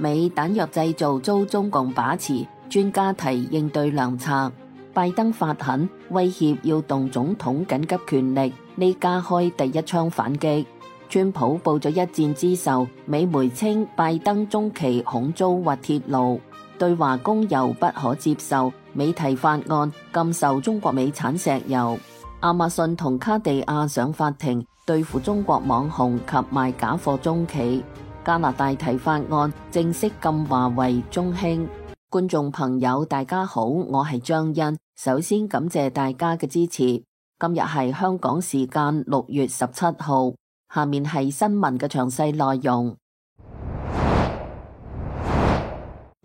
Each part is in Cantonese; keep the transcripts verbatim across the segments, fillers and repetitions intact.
美彈藥製造遭中共把持，專家提應對良策。拜登發狠威脅要動總統緊急權力，呢加開第一槍反擊。川普報咗一戰之仇，美媒稱拜登中期恐遭滑鐵盧，對華供油不可接受，美提法案禁售中國美產石油。亞馬遜同卡地亞上法庭對付中國網紅及賣假貨中企。加拿大提法案正式禁華為、中興。觀眾朋友大家好，我係張欣，首先感謝大家嘅支持。今日係香港時間六月十七號，下面係新聞嘅詳細內容。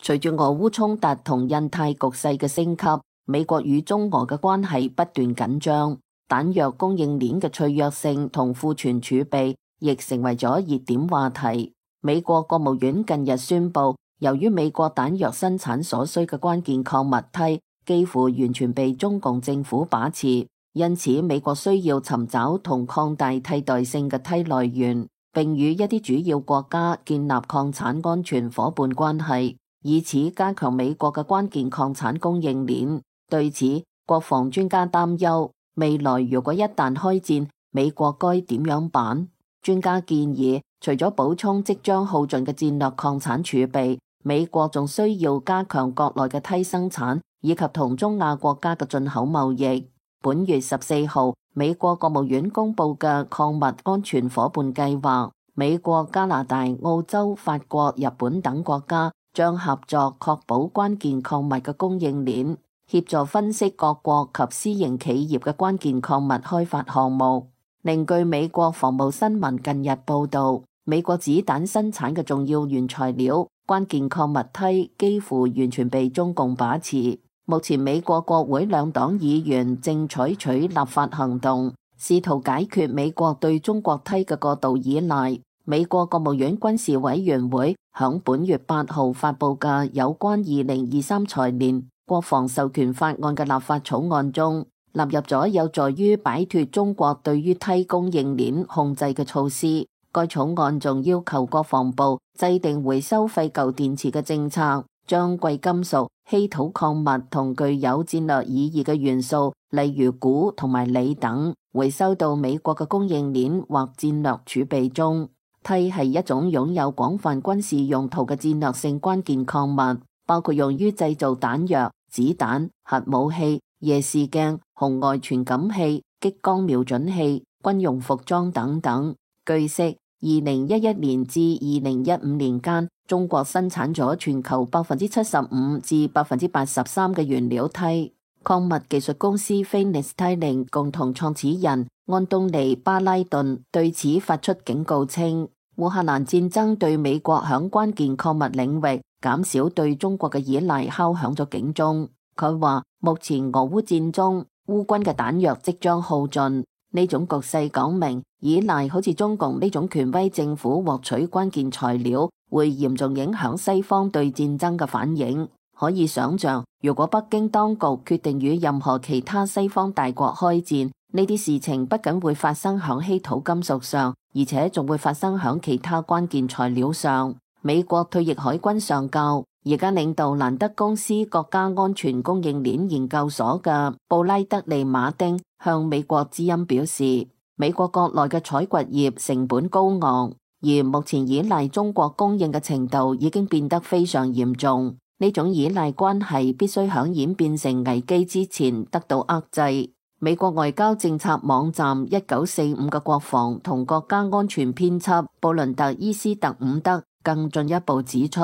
隨住俄烏衝突同印太局勢嘅升級，美國與中俄嘅關係不斷緊張，彈藥供應鏈嘅脆弱性同庫存儲備亦成為咗熱點話題。美國國務院近日宣布，由於美國彈藥生產所需嘅關鍵礦物銻幾乎完全被中共政府把持，因此美國需要尋找同擴大替代性嘅銻來源，並與一啲主要國家建立礦產安全夥伴關係，以此加強美國嘅關鍵礦產供應鏈。對此，國防專家擔憂，未來如果一旦開戰，美國該點樣辦？專家建議，除咗補充即將耗盡嘅戰略礦產儲備，美國仲需要加強國內嘅銻生產，以及同中亞國家嘅進口貿易。本月十四號，美國國務院公布嘅礦物安全夥伴計劃，美國、加拿大、澳洲、法國、日本等國家將合作確保關鍵礦物嘅供應鏈，協助分析各國及私營企業嘅關鍵礦物開發項目。另據美國防務新聞近日報道，美國子彈生產嘅重要原材料關鍵礦物銻幾乎完全被中共把持。目前美國國會兩黨議員正採取立法行動，試圖解決美國對中國銻嘅過度依賴。美國國務院軍事委員會響本月八號發佈嘅有關二零二三財年國防授權法案嘅立法草案中，納入咗有助於擺脫中國對於銻供應鏈控制嘅措施。該草案仲要求國防部制定回收廢舊電池嘅政策，將貴金屬、稀土礦物同具有戰略意義嘅元素，例如鈷同埋鋰等，回收到美國嘅供應鏈或戰略儲備中。銻係一種擁有廣泛軍事用途嘅戰略性關鍵礦物，包括用於製造彈藥、子彈、核武器、夜視鏡、紅外傳感器、激光瞄準器、軍用服裝等等。據悉，二零一一年至二零一五年間，中國生產咗全球百分之七十五至百分之八十三嘅原料銻。礦物技術公司菲尼斯泰寧共同創始人安東尼巴拉頓對此發出警告稱，烏克蘭戰爭對美國響關鍵礦物領域減少對中國嘅依賴敲響咗警鐘。佢話，目前俄烏戰中，烏軍嘅彈藥即將耗盡，呢種局勢講明依賴好似中共呢種權威政府獲取關鍵材料，會嚴重影響西方對戰爭嘅反應。可以想象，如果北京當局決定與任何其他西方大國開戰，呢啲事情不僅會發生響稀土金屬上，而且仲會發生響其他關鍵材料上。美國退役海軍上校，而家領導蘭德公司國家安全供應鏈研究所嘅布拉德利馬丁向美國之音表示，美國國內嘅採掘業成本高昂，而目前依賴中國供應嘅程度已經變得非常嚴重。呢種依賴關係必須響演變成危機之前得到遏制。美國外交政策網站一九四五嘅國防同國家安全編輯布倫特伊斯特伍德更進一步指出，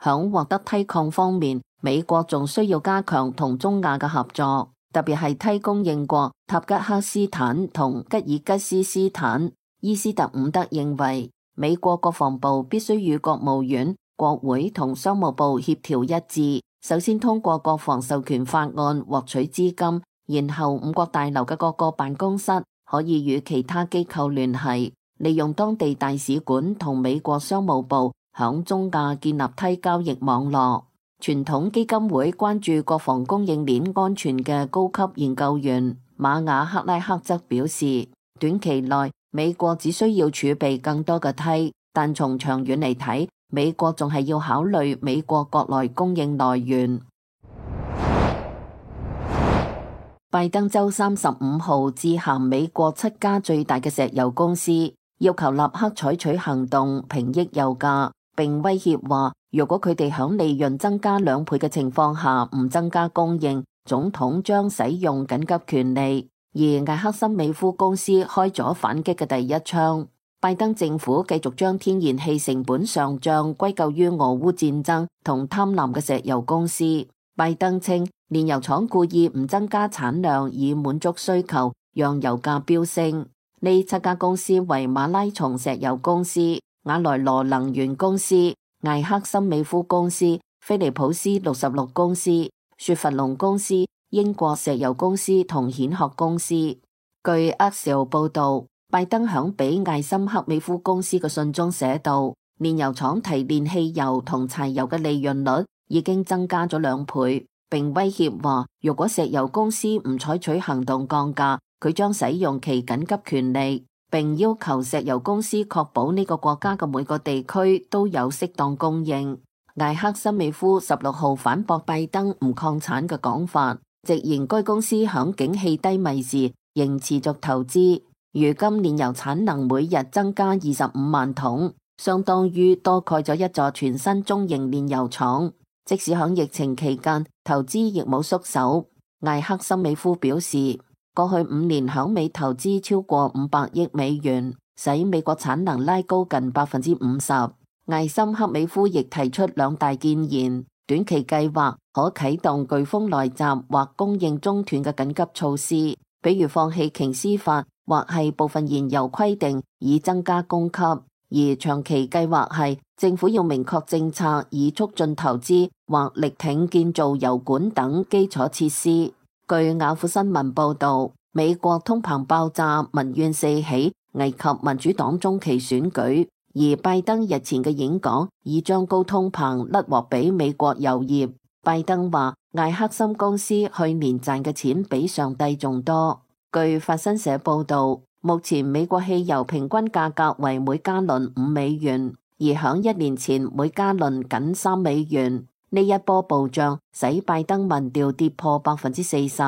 響獲得銻礦方面，美國仲需要加強同中亞嘅合作，特別係銻供應國塔吉克斯坦同吉爾吉斯斯坦。伊斯特伍德認為，美國國防部必須與國務院、國會同商務部協調一致，首先通過國防授權法案獲取資金，然後五角大樓嘅各個辦公室可以與其他機構聯繫，利用當地大使館同美國商務部響中亞建立銻交易網絡。傳統基金會關注國防供應鏈安全嘅高級研究員馬雅克拉克則表示，短期內美國只需要儲備更多嘅銻，但從長遠嚟睇，美國仲係要考慮美國國內供應來源。拜登週三十五號致函美國七家最大嘅石油公司，要求立刻採取行動平抑油價，並威脅話，如果佢哋響利潤增加兩倍嘅情況下唔增加供應，總統將使用緊急權利。而艾克森美孚公司開咗反擊嘅第一槍。拜登政府繼續將天然氣成本上漲歸咎於俄烏戰爭同貪婪嘅石油公司。拜登稱，煉油廠故意唔增加產量以滿足需求，讓油價飆升。呢七家公司為馬拉松石油公司、瓦萊羅能源公司、艾克森美孚公司、菲利普斯六十六公司、雪佛龍公司、英國石油公司同蜆殼公司。據 Axios 報道，拜登響俾艾森克美孚公司嘅信中寫道，煉油廠提煉汽油同柴油嘅利潤率已經增加咗兩倍，並威脅話，如果石油公司唔採取行動降價，佢將使用其緊急權利，並要求石油公司確保呢個國家嘅每個地區都有適當供應。艾克森美孚十六號反駁拜登唔擴產嘅講法，直言該公司響景氣低迷時仍持續投資。如今煉油產能每日增加二十五萬桶，相當於多蓋咗一座全新中型煉油廠。即使響疫情期間，投資亦冇縮手。艾克森美孚表示，過去五年響美投資超過五百億美元，使美國產能拉高近百分之五十。艾森克美孚亦提出兩大建言，短期計劃可啟動颶風來襲或供應中斷嘅緊急措施，比如放棄瓊斯法或係部分燃油規定以增加供給。而長期計劃係政府要明確政策以促進投資或力挺建造油管等基礎設施。據雅虎新聞報道，美國通膨爆炸，民怨四起，危及民主黨中期選舉。而拜登日前嘅演講已將高通膨甩鍋俾美國油業。拜登話，艾克森公司去年賺嘅錢比上帝仲多。據法新社報道，目前美國汽油平均價格為每加侖五美元，而響一年前每加侖僅三美元。呢一波暴漲使拜登民調跌破百分之四十。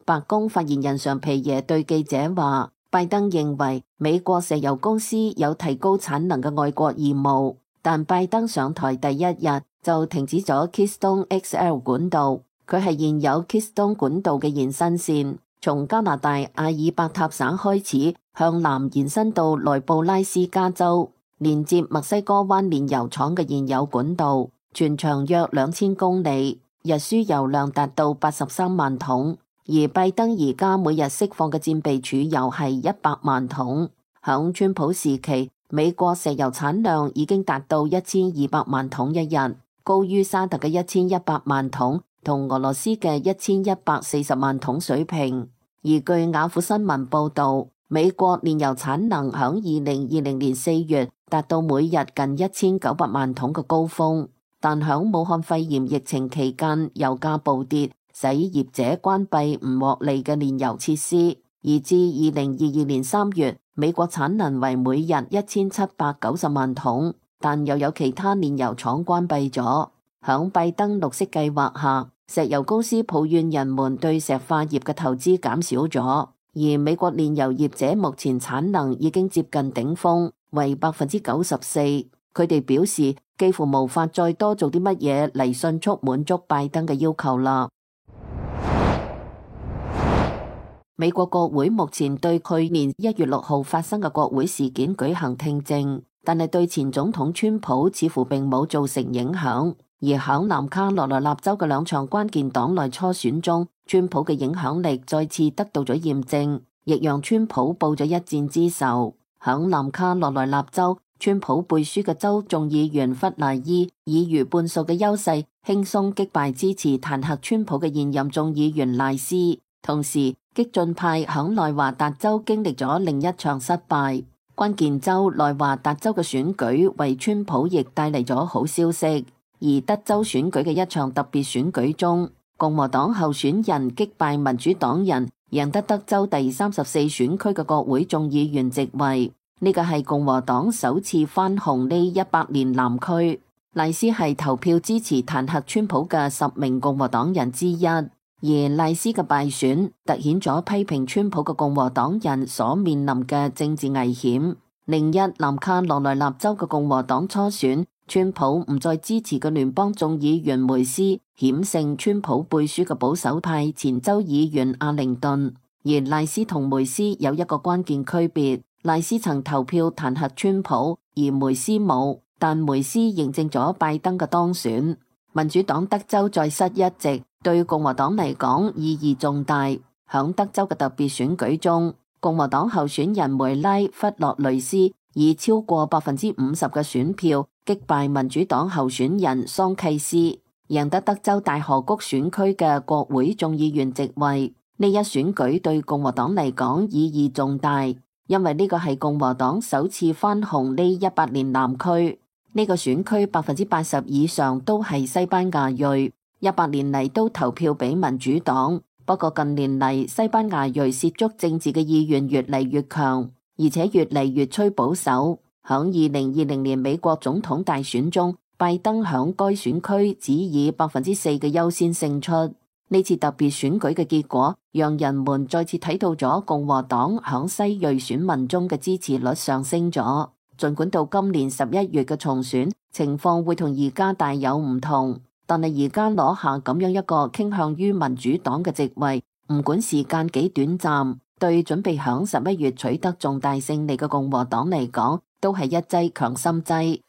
白宮發言人尚皮耶對記者話，拜登認為美國石油公司有提高產能嘅外國義務，但拜登上台第一日就停止咗 Keystone X L 管道，佢係現有 Keystone 管道嘅延伸線，從加拿大阿爾伯塔省開始向南延伸到內布拉斯加州，連接墨西哥灣煉油廠嘅現有管道，全長約兩千公里，日輸油量達到八十三萬桶。而拜登而家每日釋放嘅戰備儲油係一百萬桶。響川普時期，美國石油產量已經達到一千二百萬桶一日，高於沙特嘅一千一百萬桶同俄羅斯嘅一千一百四十萬桶水平。而據雅虎新聞報道，美國煉油產能響二零二零年四月達到每日近一千九百萬桶嘅高峰，但響武漢肺炎疫情期間，油價暴跌，使業者關閉唔獲利嘅煉油設施，而至二零二二年三月，美國產能為每日一千七百九十萬桶，但又有其他煉油廠關閉咗。響拜登綠色計劃下，石油公司抱怨人們對石化業嘅投資減少咗，而美國煉油業者目前產能已經接近頂峰，為百分之九十四。佢哋表示幾乎無法再多做啲乜嘢嚟迅速滿足拜登嘅要求啦。美國國會目前對去年一月六號發生嘅國會事件舉行聽證，但係對前總統川普似乎並冇造成影響。而響南卡羅來納州嘅兩場關鍵黨內初選中，川普嘅影響力再次得到咗驗證，亦讓川普報咗一箭之仇。響南卡羅來納州，川普背書嘅州眾議員弗賴伊以逾半數嘅優勢輕鬆擊敗支持彈劾川普嘅現任眾議員賴斯。同時，激進派響內華達州經歷咗另一場失敗。關鍵州內華達州嘅選舉為川普亦帶嚟咗好消息。而德州選舉嘅一場特別選舉中，共和黨候選人擊敗民主黨人，贏得德州第三十四選區嘅國會眾議員席位。呢個係共和黨首次翻紅呢一百年南區。賴斯係投票支持彈劾川普嘅十名共和黨人之一，而賴斯嘅敗選凸顯咗批評川普嘅共和黨人所面臨嘅政治危險。另一南卡羅來納州嘅共和黨初選，川普唔再支持嘅聯邦眾議員梅斯險勝川普背書嘅保守派前州議員阿靈頓，而賴斯同梅斯有一個關鍵區別，賴斯曾投票彈劾川普，而梅斯冇，但梅斯認證咗拜登嘅當選。民主黨德州再失一席，對共和黨嚟講意義重大。響德州嘅特別選舉中，共和黨候選人梅拉弗洛雷斯以超過百分之五十嘅選票擊敗民主黨候選人桑契斯，贏得德州大河谷選區嘅國會眾議員席位。呢一選舉對共和黨嚟講意義重大，因為呢個係共和黨首次翻紅呢一百年南區。呢個選區百分之八十以上都係西班牙裔，一百年嚟都投票俾民主黨。不過近年嚟，西班牙裔涉足政治嘅意願越嚟越強，而且越嚟越趨保守。響二零二零年美國總統大選中，拜登響該選區只以百分之四嘅優先勝出。呢次特別選舉嘅結果，讓人們再次睇到咗共和黨響西裔選民中嘅支持率上升咗。儘管到今年十一月嘅重選情況會同而家大有唔同，但係而家攞下咁樣一個傾向於民主黨嘅席位，唔管時間幾短暫，對準備響十一月取得重大勝利嘅共和黨嚟講，都係一劑強心劑。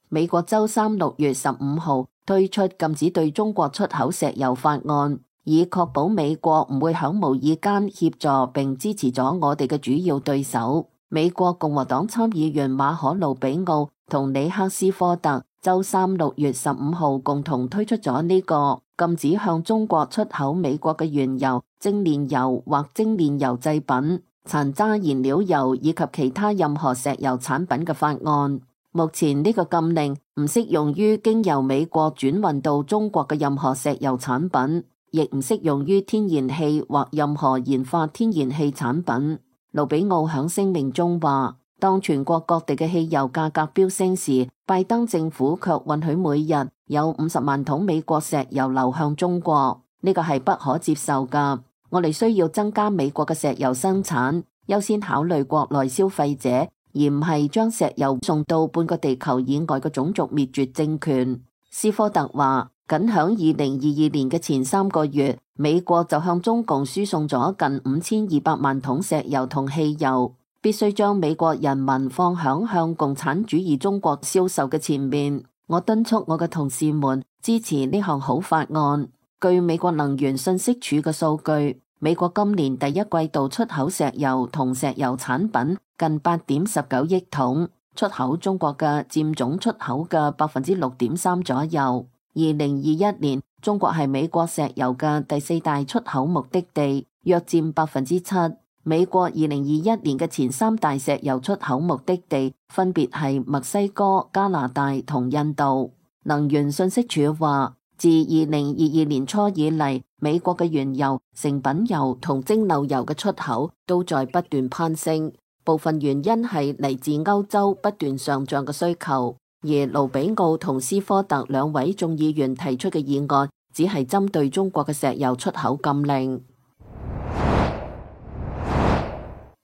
美國週三六月十五號推出禁止對中國出口石油法案，以確保美國唔會響無意間協助並支持咗我哋嘅主要對手。美國共和黨參議員馬可魯比奧同里克斯科特週三六月十五號共同推出咗呢個禁止向中國出口美國嘅原油、精煉油或精煉油製品、殘渣燃料油以及其他任何石油產品嘅法案。目前呢個禁令唔適用於經由美國轉運到中國嘅任何石油產品，亦唔適用於天然氣或任何研發天然氣產品。盧比奧響聲明中話，當全國各地嘅汽油價格飆升時，拜登政府卻允許每日有五十萬桶美國石油流向中國，呢個係不可接受㗎。我哋需要增加美國嘅石油生產，優先考慮國內消費者，而唔係將石油送到半個地球以外嘅種族滅絕政權。斯科特話，僅響二零二二年嘅前三個月，美國就向中共輸送咗近五千二百萬桶石油同汽油，必須將美國人民放響向共產主義中國銷售嘅前面。我敦促我嘅同事們支持呢項好法案。據美國能源信息署嘅數據，美國今年第一季度出口石油同石油產品近八點十九億桶，出口中國嘅佔總出口嘅百分之六點三左右。二零二一年，中國係美國石油嘅第四大出口目的地，約佔百分之七。美國二零二一年嘅前三大石油出口目的地分別係墨西哥、加拿大同印度。能源信息署話，自二零二二年初以嚟，美國嘅原油、成品油同蒸餾油嘅出口都在不斷攀升，部分原因係嚟自歐洲不斷上漲嘅需求。而盧比奧同斯科特兩位眾議員提出嘅議案，只係針對中國嘅石油出口禁令。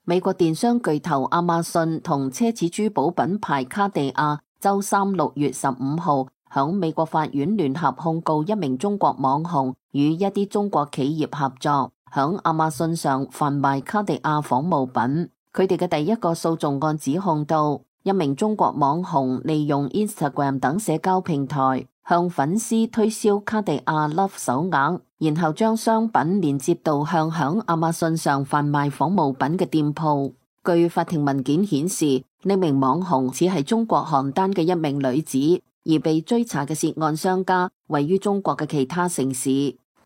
美國電商巨頭亞馬遜同奢侈珠寶品牌卡地亞週三六月十五號響美國法院聯合控告一名中國網紅與一啲中國企業合作，響亞馬遜上販賣卡地亞仿冒品。佢哋嘅第一個訴訟案指控到，一名中國網紅利用 Instagram 等社交平台向粉絲推銷卡地亞 Love 手鐲，然後將商品連接到向響亞馬遜上販賣仿冒品嘅店鋪。據法庭文件顯示，呢名網紅只係中國邯鄲嘅一名女子，而被追查嘅涉案商家位於中國嘅其他城市。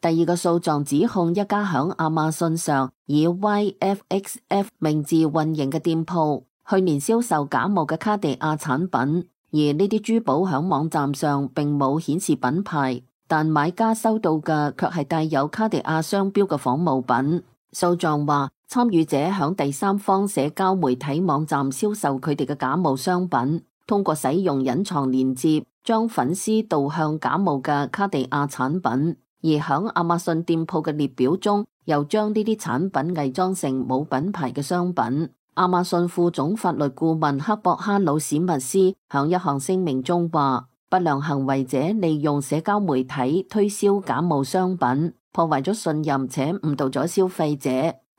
第二個訴狀指控一家響亞馬遜上以 Y F X F 名字運營嘅店鋪，去年銷售假冒嘅卡地亞產品，而呢啲珠寶響網站上並冇顯示品牌，但買家收到嘅卻係帶有卡地亞商標嘅仿冒品。訴狀話，參與者響第三方社交媒體網站銷售佢哋嘅假冒商品，通過使用隱藏連接，將粉絲導向假冒嘅卡地亞產品，而響亞馬遜店鋪嘅列表中，又將呢啲產品偽裝成冇品牌嘅商品。亞馬遜副總法律顧問克博哈魯史密斯響一項聲明中話，不良行為者利用社交媒體推銷假冒商品，破壞咗信任且誤導咗消費者。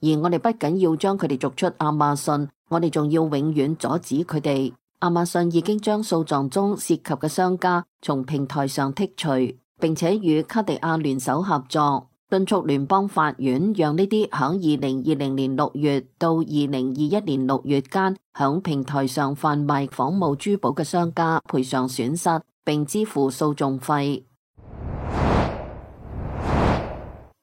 而我哋不僅要將佢哋逐出亞馬遜，我哋仲要永遠阻止佢哋。亞馬遜已經將訴狀中涉及嘅商家從平台上剔除，並且與卡地亞聯手合作，敦促聯邦法院讓呢啲響二零二零年六月到二零二一年六月間響平台上販賣仿冒珠寶嘅商家賠償損失，並支付訴訟費。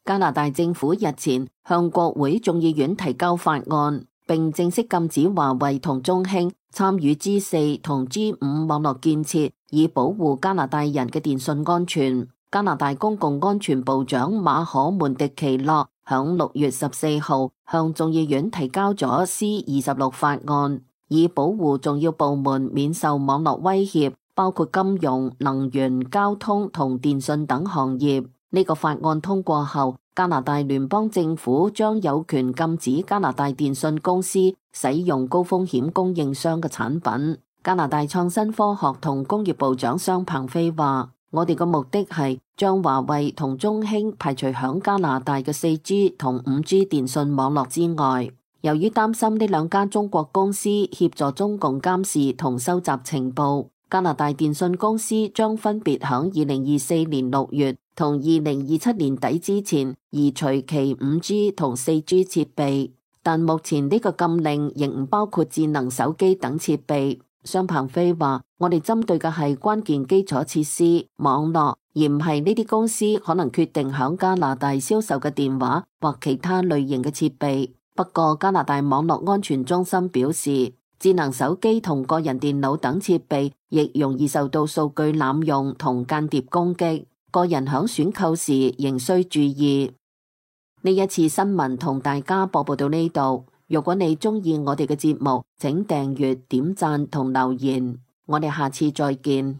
加拿大政府日前向國會眾議院提交法案，並正式禁止華為同中興參與 G 四同 G 五網絡建設，以保護加拿大人嘅電信安全。加拿大公共安全部長馬可門迪奇諾響六月十四號向眾議院提交咗 C 二十六法案，以保護重要部門免受網絡威脅，包括金融、能源、交通同電信等行業。呢個法案通過後，加拿大聯邦政府將有權禁止加拿大電信公司使用高風險供應商嘅產品。加拿大創新科學同工業部長商鵬飛話，我哋嘅目的係將華為同中興排除響加拿大嘅 四 G 同五 G 電信網絡之外。由於擔心呢兩家中國公司協助中共監視同收集情報，加拿大電信公司將分別響二零二四年六月同二零二七年底之前移除其五 G 同四 G 設備，但目前呢個禁令仍唔包括智能手機等設備。商鵬飛話，我哋針對嘅係關鍵基礎設施、網絡，而唔係呢啲公司可能決定響加拿大銷售嘅電話或其他類型嘅設備。不過加拿大網絡安全中心表示，智能手機同個人電腦等設備亦容易受到數據濫用同間諜攻擊，個人響選購時仍需注意。呢一次新聞同大家播報到呢度。如果你鍾意我哋嘅節目，請訂閱、點讚同留言。我哋下次再見。